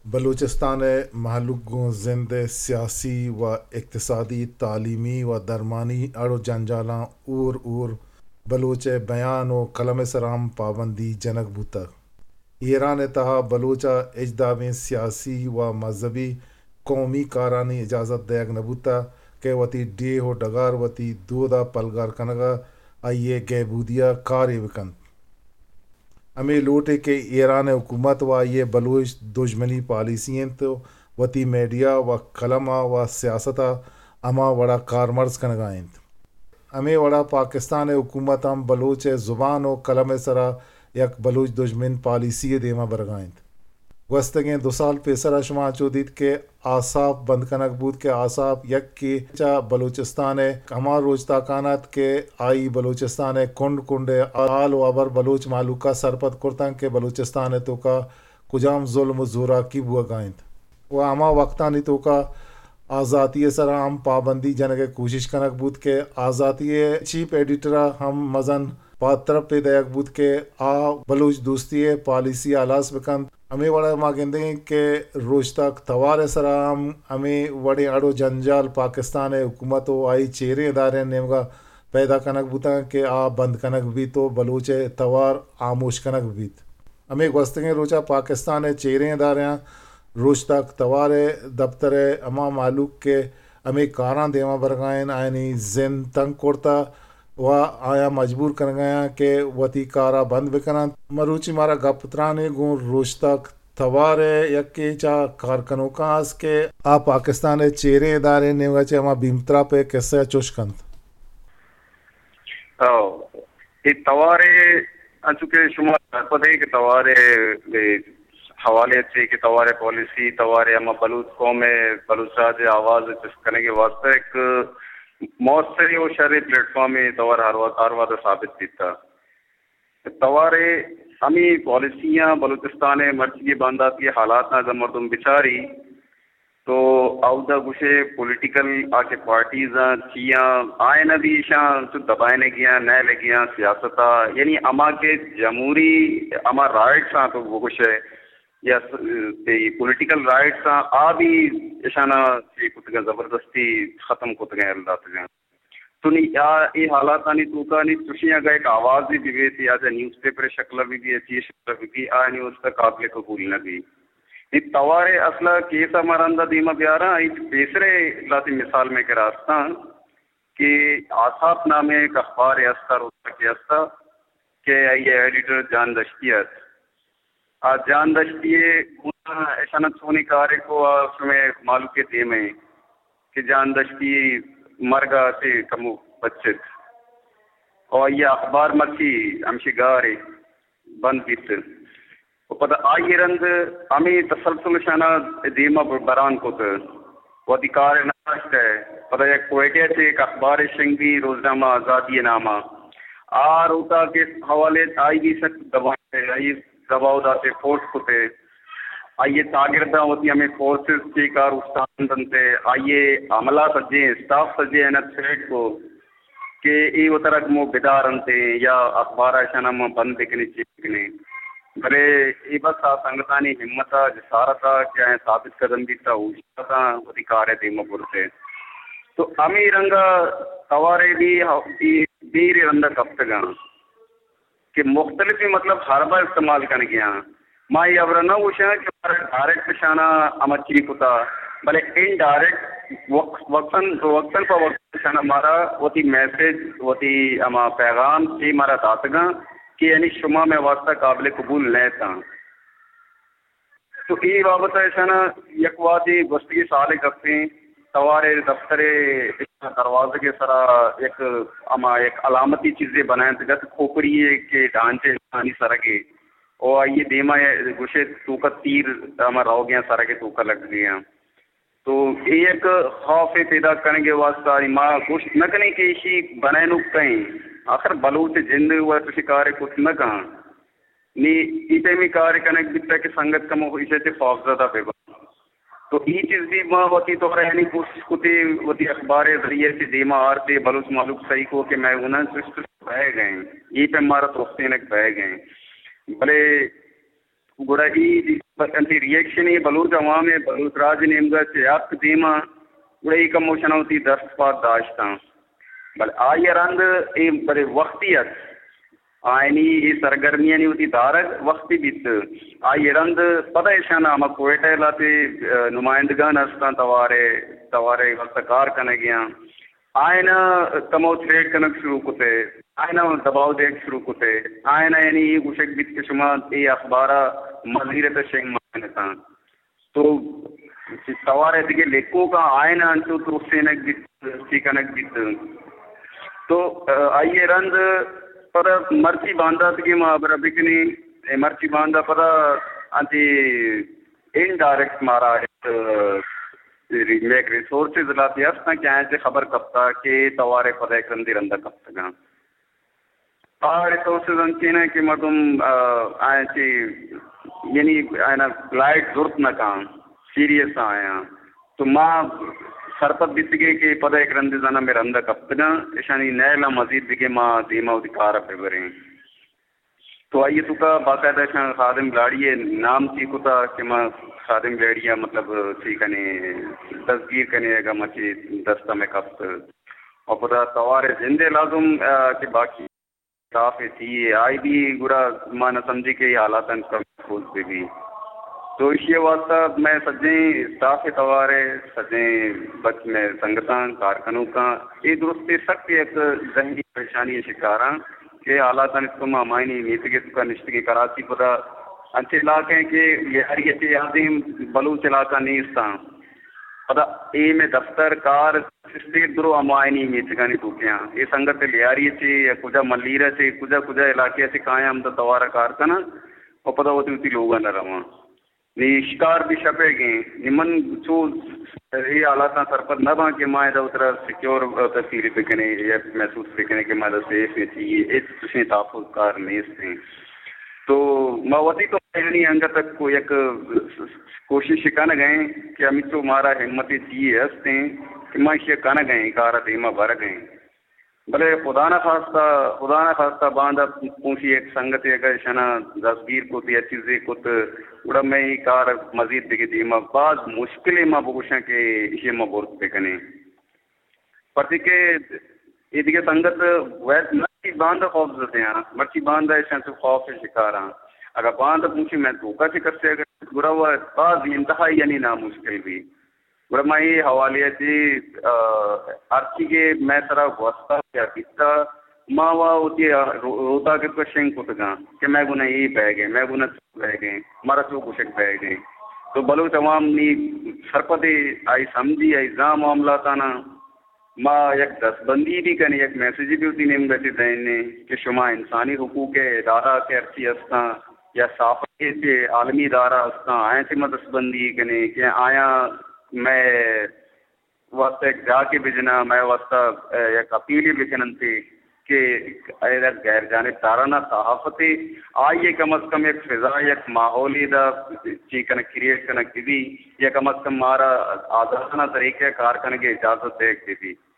بلوچستان ءِ مھلوک گوں زند ءِ سیاسی و اقتصادی، تعلیمی و درمانی اڑ و جنجالاں ھور ھور بلوچ ءِ بیان و قلم ءِ سرا ھم پابندی جنگ بوتگ۔ ایران ءِ تہا بلوچ ءَ ھچ دابیں سیاسی و مذہبی قومی کارانی اجازت دئیگ نہ بوتگ کہ وتی ڈیھ و ڈگار، وتی دود ءَ پلگار کنگ ءَ آئی ءِ گہبودی ءَ کارے بکنت۔ ھمے لوٹ اِنت کہ ایران ءِ حکومت و آئی ءِ بلوچ دژمنی پالیسی اِنت و وتی میڈیا و قلم ءَ و سیاست ءَ ھما وڑ ءَ کارمرز کنگ ءَ اِنت۔ ھمے وڑ ءَ پاکستان ءِ حکومت ھم بلوچ ءِ زبان و قلم ءِ سرا یک بلوچ دژمن پالیسی ءِ دیما برگ ءَ اِنت۔ گوستگیں دو سال پیسرا شما چو دیت کہ آساپ بند کنگ بوت کہ آساپ یکے چہ بلوچستان ءِ ھما روچتاکان اَت کہ آئی بلوچستان ءِ کنڈ کنڈ ءِ حال و ھبر بلوچ مھلوک ءَ سرپد کرتنت کہ بلوچستان ءِ توکا کجام ظلم و زوراکی بوگ ءَ اِنت و ھما وقتانی توکا آزاتی ءِ سرا ھم پابندی جنگ ءِ کوشش کنگ بوت کہ آزاتی ءِ چیف ایڈیٹر ءَ ھم مزن پادترپے دئیگ بوت کہ آ بلوچ دوستی ءِ پالیسی ءَ ھلاس بکنت۔ ھمے وڑ ءَ ما گندگ ایں کہ روچتاک توار ءِ سرا ھم ھمے وڑیں اڑ و جنجال پاکستان ءِ حکومت و آئی چیریں ادارہانی نیمگ ءَ پیدا کنگ بوتگ کہ آ بند کنگ بیت و بلوچ ءِ توار ھاموش کنگ بیت۔ ھمے گوستگیں روچ ءَ پاکستان ءِ چیریں ادارہاں روچتاک توار ءِ دپتر ءِ ھما مھلوک کہ ھمے کاراں دیما برگ ءَ اَنت، آیانی زند تنگ کرتہ و آیاں مجبور کنگ ءَ اَنت کہ وتی کار ءَ بند بکننت۔ مروچی مارا گپ تران اِنت گوں روچتاک توار ءِ یکے چہ کارکنوکاں است کہ آ پاکستان ءِ چیریں ادارہانی نیمگ ءَ چہ ھما بھیمتراپ ءِ کسہ ءَ چوش کنت۔ او، اے توار ءِ، انچو کہ شما سرپد ئے کہ توار ءِ، اے، حوالے ءَ چہ کہ توار ءِ پالیسی، توار ءِ ھما بلوچ قوم ءِ، بلوچ راج ءِ آواز ءِ چست کنگ ءِ واستہ یک موثریں و شریں پلیٹ فارمے توار ھر وھد، ھر وھد ءَ ثابت بیتہ۔ توار ءِ ھمے پالیسیاں بلوچستان ءِ مرچیگیں بانداتی حالاتاں اگاں مردم بچاری تو اودا گوشے پولیٹیکل آ کہ پارٹیز آں، چی آں، آیاں بھی ایشاں تو دبائینگیاں، نئیلگیاں سیاست ءَ، یعنی ھما کہ جمہوری ھما رائٹس آں تو بگوشے یا س-، تئی پولیٹیکل رائٹس آں، آ بھی ایشاناں چی کتگاں، زبردستی ختم کتگاں، یل داتگاں۔ تو نی آ، اے حالاتانی توکا نی چوشیں اگاں یک آوازے بہ بیت یا چہ نیوز پیپر شکل ءَ بہ بیت یا چی شکل ءَ بہ بیت، آیانی واستہ قابل قبول نہ بیت۔ اے توار ءِ اصل ءَ کیس ءَ ما رند ءَ دیما بیاراں، آئی پیسرے لہتے مثال مئے کرا استاں کہ آساپ نامیں یک اخبارے استا، روزنامہ کہ استا کہ آئی ءِ ایڈیٹر جان دشتی ات۔ آ جان دشتی ءِ گونا اشاناں چونیں کارے کو آ شمئے مھلوک ءِ دیم ءَ کہ جان دشتی مرگ ءَ چہ کمو بچت۔ او آئی ءِ اخبار مرچی ہمشی گار ءَ بند بیت۔ و پدا آئی ءَ رند ہمے تسلسل اشاناں دیم ءَ بران کت۔ وتی کار ءَ نہ داشت ءَ۔ پدا یک کوئٹہ ءَ چہ یک اخبارے شنگ بی، روزنامہ آزادی ءِ نام ءَ۔ آ روتاک ءِ حوالے ءَ آئی بھی سک دبائینت ءَ، آئی ءَ دباؤ دات ءَ، فورس کت ءَ۔ آئی ءِ چاگرداں وتی ہمے فورسز چیک ءَ اوشتاتینت ءَ، آئی ءِ عملہ سجیں، اسٹاف سجیں ءَ نہ تھریٹ کو کہ اے وترا گوں بدار انت یا اخبار ءَ اشاناں ما بند بکنیں، چی بکنیں۔ بلے اے بس آ سنگتانی ہمت ءَ، جسارت ءَ کہ آیاں ثابت قدم بیت ءَ اوشتاتاں، وتی کار ءَ دیم ءَ برت ءَ۔ تو ہمے رنگ ءَ توار ءَ بھی، بھی، بھی رند ءَ کپتگاں کہ مختلفیں، مطلب، حربہ استعمال کنگیاں۔ ما اے ہبر ءَ نہ گوشاں کہ مارا ڈائریکٹ اشاناں ہما چی کتا، بلے انڈائریکٹ وق-، وقتاً، وقتاً پہ وقت اشاناں مارا وتی میسج، وتی ہما پیغام چی مارا داتگاں کہ یعنی شما مئے واسطہ قابل قبول نہ اتاں۔ تو اے بابت ءَ اشاناں یک وہدے گوستگیں سال ءِ گپیں، توار ءِ دفتر ءِ دروازگ ءِ سرا یک ہما یک علامتی چیزے بنائینتگ ات، کھوپڑی ءِ کہ ڈانچ ءِ انسانی سرگ ءَ، او آئی ءِ دیم ءَ گوشے توک ءَ تیر ہما روگیاں، سرگ ءِ توک ءَ لگگیاں۔ تو اے یک خوفے پیداک کنگ ءِ واسطہ ما گوشت نہ کنیں کہ ایشی بنائینوک کئے ایں، آخر بلوچ ءِ جند ءَ چوشیں کارے کت نہ کن۔ نی اے پیمیں کارے کنگ بیتگ کہ سنگت کمو ایشی ءَ چہ خوفزدہ بہ بنت۔ تو اے چیز بھی ما وتی طور ءَ یعنی کوشش کتی، وتی اخبار ءِ ذریعہ ءَ چہ دیما آرت ءَ، بلوچ مہلوک سہی کو کہ مئے گوناں چست بئیگ ءَ ایں، اے پیم مارا ترسینگ بئیگ ءَ ایں۔ بلے گڑا اے بس انتی ری ایکشن ءَ بلوچ عوام ءَ بلوچ راج ءِ نیمگ ءَ چہ اتک دیما، گڑا اے کمو شنا وتی دست پاد داشتاں۔ بلے آئی ءَ رند اے برے وختی ات، آیانی اے سرگرمیانی وتی دارگ وختی بیت۔ آئی ءَ رند پدا ایشان ہما کوئٹہ ءِ لہتے، آ، نمائندگان ہستاں، توارے، توارے واسطہ کار کنگیاں۔ آئینا کمو تھریٹ کنگ شروع کتے، آئینا دباؤ دیگ شروع کتے، آئینا یعنی اے گوشگ بیت کہ شما اے اخبارا مزیر ءِ تہ شنگ مکنتاں۔ تو توارے دگہ لکھوکاں آئینا انچو ترسینگ بیت، چی کنگ بیت۔ تو، آ، آئی ءَ رند پدا مرچی باندا دگہ ما ہبرا بکنیں، اے مرچی باندا پدا انتی انڈائریکٹ مارا ایک، آ، ری-، میک ریسورسز لاتے ہستاں کہ آیاں چہ خبر کپتا کہ توارے پدا یک رندے رندا کپتگاں۔ آ ریسورسز انچین ہیں کہ مردم، آ، آیاں چہ، یعنی آیانا لائٹ زرت نہ کاں، سیریس آیاں۔ تو ما سرپد بیتگیں کہ پدا یک رندے زاناں مئے رندا کپتگاں، اشانی نیلا مزید دگہ ما دیما وتی کارا ببریں۔ تو آئی ءِ توکا باقاعدہ اشاں خادم بلاڑی ءِ نام چی کتا کہ ما خادم بلاڑی ءَ مطلب چی کنیں، دزگیر کنیں، اگاں مچی دست ءَ مئے کپت۔ اور پدا توار ءِ زند ءَ لازم، آ، کہ باقی اسٹاف ءِ چی ءَ آئی بی گڑا ما نہ سمجھی کہ اے حالاتاں کم محفوظ بہ بی۔ تو ایشی ءِ واسطہ مئے سجیں اسٹاف ءِ توار ءَ، سجیں بچ مئے سنگتاں، کارکنوکاں، اے درستی سک یک ذہنی پریشانی ءِ شکاراں۔ کہ حالاتانی توکا ما ہمایانی میتگ ءِ توکا نشتگیں۔ کراچی پدا انچیں علاقہ ایں کہ لیاری ءَ چہ آدیم بلوچ علاقہ نیستاں۔ پدا اے مئے دفتر کار سستے درو ہمایانی میتگانی توکیاں۔ اے سنگت لیاری ءَ چہ یا کجا ملیر ءَ چہ کجا کجا علاقہ ءَ چہ کایاں ہمدا توارا کار کناں و پدا وتی وتی لوگاں نہ رواں۔ نی شکار بھی شپیگیں۔ نی من چو اے حالاتاں سرپد نہ باں کہ ما ادا وترا سیکیور، آ، فیل بکنیں یا محسوس بکنیں کہ ما ادا سیف ایں، چی اے، ہچ چشیں تحفظ کار نیست ایں۔ تو ما وتی تو یعنی انگت تک کو یک کوشش کنگ ایں کہ ہمینچو مارا ہمت چی ہست ایں کہ ما ایشی کنگ ایں، کار دیما برگ ایں۔ بلے خدا نہ خواستہ، خدا نہ خواستہ باندا پونشی یک سنگتے اگہ اشانا دستگیر کت یا چیزے کت، گڑا مئے اے کار مزید دگہ دیما باز مشکلیں ما بگوشاں کہ ایشی ما برت بکنیں۔ پرچے کہ اے دگہ سنگت ویت نہ کہ باندا خوف زدیاں، مرچی باندا اشاں چو خوف شکاراں۔ اگہ باندا پونشی مئے توکا چہ کسے اگہ گڑا وہ باز انتہائی یعنی نامشکل بی۔ گڑا ما اے حوالے ءَ چہ، آ، ہرچی کہ مئے سرا گوستا یا بیتا، ما وا وتی، آ، رو-، روتاک ءِ شنگ کتگاں کہ مئے گونا اے بیگ ءَ، مئے گونا چو بیگ ءَ، مارا چو گوشگ بیگ ءَ۔ تو بلوچ عوام نی سرپدے آئی سمجھی، آئی زان معاملاتانا۔ ما یک دستبندی بھی کنیں، یک میسجے بھی وتی نیمگ ءَ چہ دئیں کہ شما انسانی حقوق ءِ ادارہ کہ ہرچی ہستاں یا صحافت ءِ چہ عالمی ادارہ ہستاں، آیاں چہ ما دستبندی کنیں کہ آیاں مئے واستہ یک جاکے بجناں، مئے واستہ، اے، یک اپیلے بکننتے کہ اے یک غیر جانبدارانہ صحافتے، آئی ءَ کم از کم یک فضا، یک ماحولے دا چی کنگ، کریئیٹ کنگ بہ بی، یا کم از کم مارا آزادانہ طریقہ کار کنگ ءِ اجازت دیگ بہ بی۔